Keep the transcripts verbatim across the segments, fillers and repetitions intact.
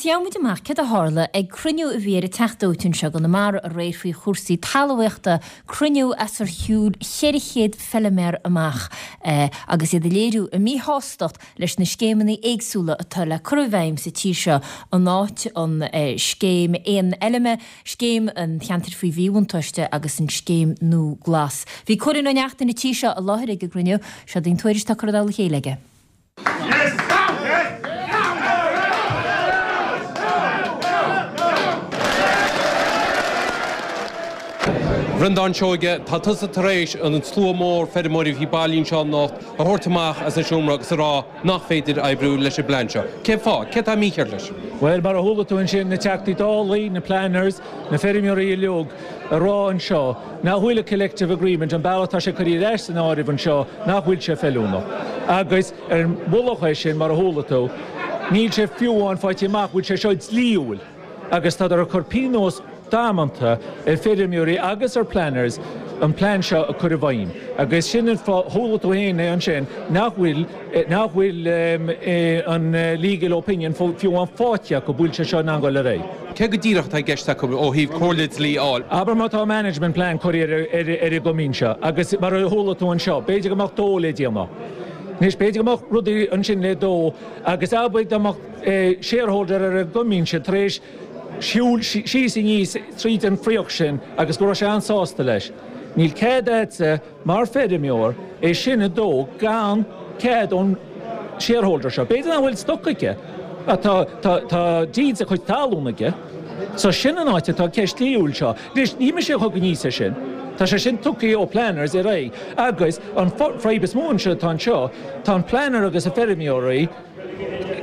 Gheobhaidh muid amach céard a tharla ag cruinniú a bhí ar an Teach Dóite anseo i gConamara aréir faoi chúrsaí talmhaíochta, cruinniú as ar shiúil ceithre chéad feilméar amach agus iad ag léiriú a míshástacht leis na scéimeanna éagsúla atá le cur i bhfeidhm sa tír seo, an áit an scéim aon fheilme, scéim an cheantair faoi mhíbhuntáiste agus an scéim nua glas. Bhí Cóilín Ó Neachtain an tí seo i láthair ag an gcruinniú, seo í an tuairisc atá curtha i dtoll a chéile aige. Breandán Seoige, tá tusa tar éis an slua mór feirmeoirí a bhí bailithe anseo anocht a thabhairt amach as an seomra agus a rá nach féidir oibriú leis an bplean seo. Cén fáth? Cé atá mícheart leis? Bhuel, mar a chuala tú ansin, na Teachtaí Dála, na planners, na feirmeoirí uilig a rá anseo nach bhfuil an collective agreement, an bealach atá sé curtha ar ais san áireamh anseo, nach bhfuil sé feiliúnach. Agus ar an mhullach air sin, mar a chuala tú, níl sé fiú amháin faighte amach bhfuil sé seo dlíthiúil agus tádar ag cur pionós damanta ar feirmeoirí agus ar planners an plean seo a chur i bhfeidhm. Agus sin an fáth, chuala tú féin é ansin, nach bhfuil, nach bhfuil an legal opinion fiú amháin faighte acu bhfuil sé seo in ann dul ar aghaidh. Cé go díreach atá i gceist acu ó thaobh comhairle dlí a fháil? Abair má tá management plan curtha ar ar an gcoimín seo agus mar a chuala tú anseo, b'fhéidir go mbeadh dó le déanamh. Anois, b'fhéidir go mbeadh rudaí ansin le dó agus abair dá mbeadh shareholder ar an gcoimín sin tar éis siúl síos aníos tríd an fraoch sin agus go raibh sé an-sásta leis. Níl cead agatsa mar feirmeoir é sin a dó gan cead ón shareholder seo. B'fhéidir nach bhfuil stoc aige ach tá tá tá deeds a chuid talún aige. So sin an áit atá ceist dlíthiúil seo. Anois ní mise a thug aníos é sin. Tá sé sin tugtha ó planners ar aghaidh agus an fadhb is mó anseo atá anseo, tá an planner agus a feirmeoirí,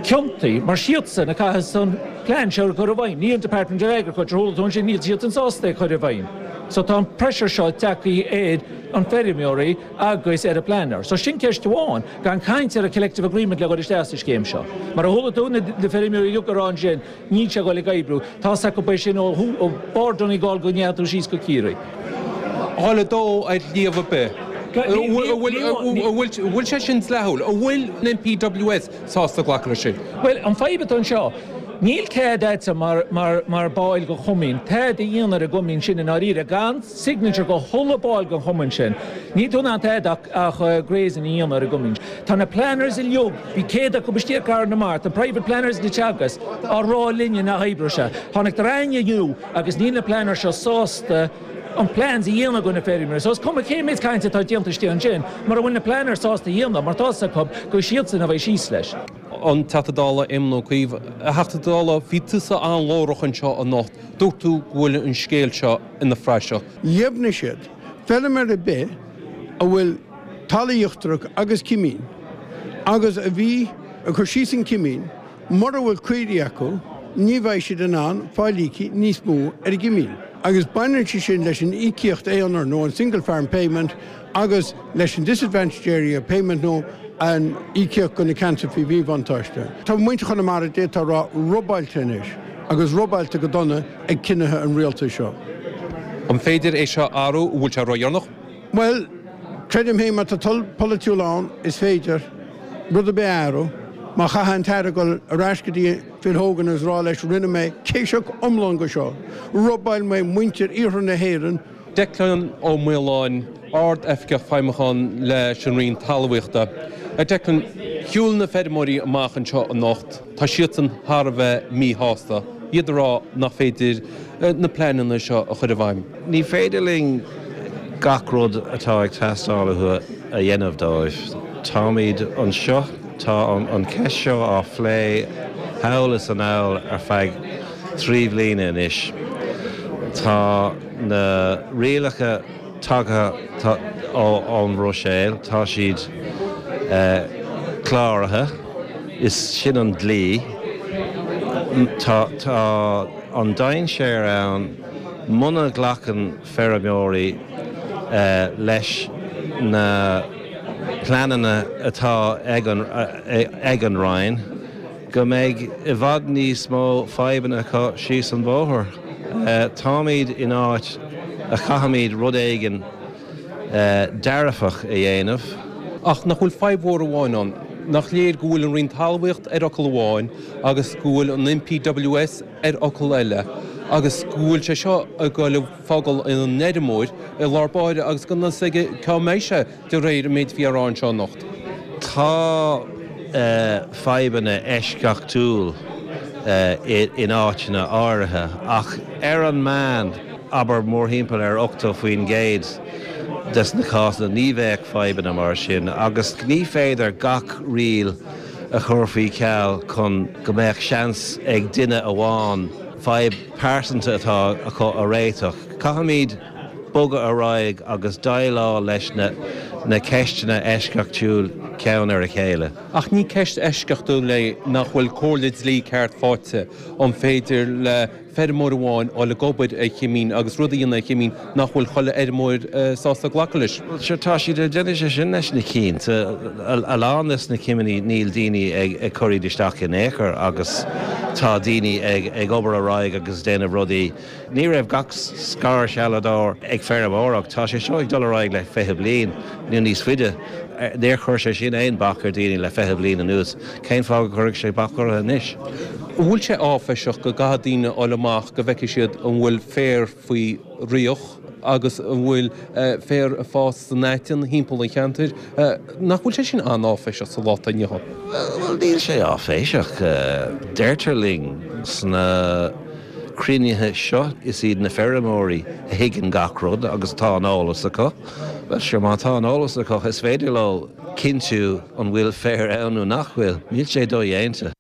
ciontaithe, mar siadsan a chaithfeas an plean seo a chur i bhfeidhm, ní an Department of Agriculture, chuala tú ansin, níl siadsan sásta é a chur i bhfeidhm. So tá an pressure seo tagtha ar an feirmeoirí agus ar an planner. So sin ceist amháin, gan caint ar an collective agreement le dhul isteach sa scéim seo. Mar a chuala tú na feirmeoirí uilig ag rá ansin, níl sé ag dul ag oibriú. Tá's acu é sin ó ó bharr Donegal go ndeachaigh tú síos go Ciarraí. Dhá le dó ar shliabh ar bith. An bhfuil sé sin dleathúil? An bhfuil an NPWS sásta glacadh leis sin? Bhuel, an fadhb atá anseo, níl cead agatsa mar, mar, mar ball de chumann, tada a dhéanamh ar an gcumann sin i ndáiríre, gan signature go chuile ball den chumann sin. Níl tú in ann tada ach, ach grazing a dhéanamh ar an gcumann. Tá na planners uilig, bhí céad acu istigh i gcathair na Mart, an private planners na Teagasc, á rá linne nach oibreoidh sé. Tháinig dream inniu agus níl na planners seo sásta an plans a dhéanamh do na feirmeoirí. So is cuma cé méid cainte atá déanta istigh ansin, mura bhfuil na planners sásta a dhéanamh, mar tá's acu gur siadsan a bheidh síos leis. An Teachta Dála Éamon Ó Cuív, A Theachta Dála, bhí tusa an-ghlórach anseo anocht. Dúirt tú go bhfuil an scéal seo ina phraiseach. Dheimhnigh siad, feilméar ar bith a bhfuil talamh íochtarach agus cimín agus a bhí ag cur síos an cimín, Mura bhfuil caoirigh acu, ní bheidh siad in ann fáil íoctha níos mó ar a gcimín. Agus baineann sé sin leis an íocaíocht aonair nó an Single Farm Payment agus leis an Disadvantaged Area Payment nó an íocaíocht do na ceantair faoi mhíbhuntáiste. Tá muintir Chonamara, d'fhéadfá a rá, robáilte anois, agus robáilte go dona ag cinnithe an rialtais seo. An féidir é seo a athrú? An bhfuil sé ródheireanach? Bhuel, creidim féin má tá toil polaitiúil ann, is féidir rud ar bith a athrú. Má chaithfidh an tAire dul ar ais go dtí Phil Hogan agus rá leis rinne mé céiseach iomlán go seo, robáil mé muintir iarthar na hÉireann, Declan Ó Maoláin, Ard-Oifigeach Feidhmiúcháin leis an Roinn Talmhaíochta. A Declan, shiúil na feirmeoirí amach anseo anocht, tá siadsan thar a bheith míshásta, iad ag rá nach féidir na pleananna seo a chur i bhfeidhm. Ní féidir linn gach rud atá ag teastáil uathu a dhéanamh dóibh. Táimid anseo, tá an cheist seo á phlé thall is anall ar feadh trí bhliana anois. Tá na rialacha tagtha ón mBruiséil, tá siad cláraithe, is sin an dlí. Tá an dainséar ann muna nglacann feirmeoirí leis na pleananna atá ag an Roinn go mbeidh i bhfad níos mó fadhbanna acu síos an bóthar. Táimid in áit a chaithfimid rud éigin dearfach a dhéanamh. Ach nach bhfuil fadhb mhór amháin ann? Nach léir go bhfuil an Roinn Talmhaíochta ar fhocal amháin agus go bhfuil an NPWS ar fhocal eile agus go bhfuil sé seo ag dul ag fágáil an fheirmeoir i lár báire agus gan fhios aige cá mbeidh sé de réir an méid a bhí á rá anseo anocht. Tá fadhbanna eisceachtúil in áiteanna áirithe ach ar an meán abair mórthimpeall ar ochtó faoin gcéad des na cásanna ní bheadh fadhbanna mar sin agus ní féidir gach riail a chur faoi cheal chun go mbeadh seans ag duine amháin fadhb pearsanta atá acu a réiteach. Caithfimid bogadh ar aghaidh agus déileáil leis na na ceisteanna eisceachtúil ceann ar a chéile. Ach ní ceist eisceachtúil é nach bhfuil comhairle dlí ceart faighte an féidir le feirmeoir amháin a dhul ag obair ar chimín agus rud a dhéanamh ar chimín nach bhfuil chuile fheirmeoir sásta glacadh leis. Bhuel sure tá siad ag déanamh sé sin leis na cinn. A lán des na cimíní níl daoine ag ag cur iad isteach in aon chor agus tá daoine ag ag obair ar aghaidh agus déanamh rudaí. Ní raibh gach scairshealbhóir ag feirmeoireacht, tá sé seo ag dul ar aghaidh le fiche bliain nó níos faide. Níor chuir sé sin aon bac ar daoine le fiche bliain anuas, cén fáth go gcuirfeadh sé bac orthu anois? An bhfuil sé áiféiseach go gcaithfidh daoine dul amach go bhfeicfidh siad an bhfuil féar faoi fhraoch agus an bhfuil féar ag fás san aiteann thimpeall an cheantair? Nach bhfuil sé sin an-áiféiseach sa lá atá inniu ann? Bhuel, níl sé áiféiseach. Deirtear linn sna cruinnithe seo, is iad na feirmeoirí a thuigeann gach rud agus tá an eolas acu. Bhuel, sure, má tá an eolas acu, is féidir leo cinntiú an bhfuil féar ann nó nach bhfuil. Níl sé dodhéanta.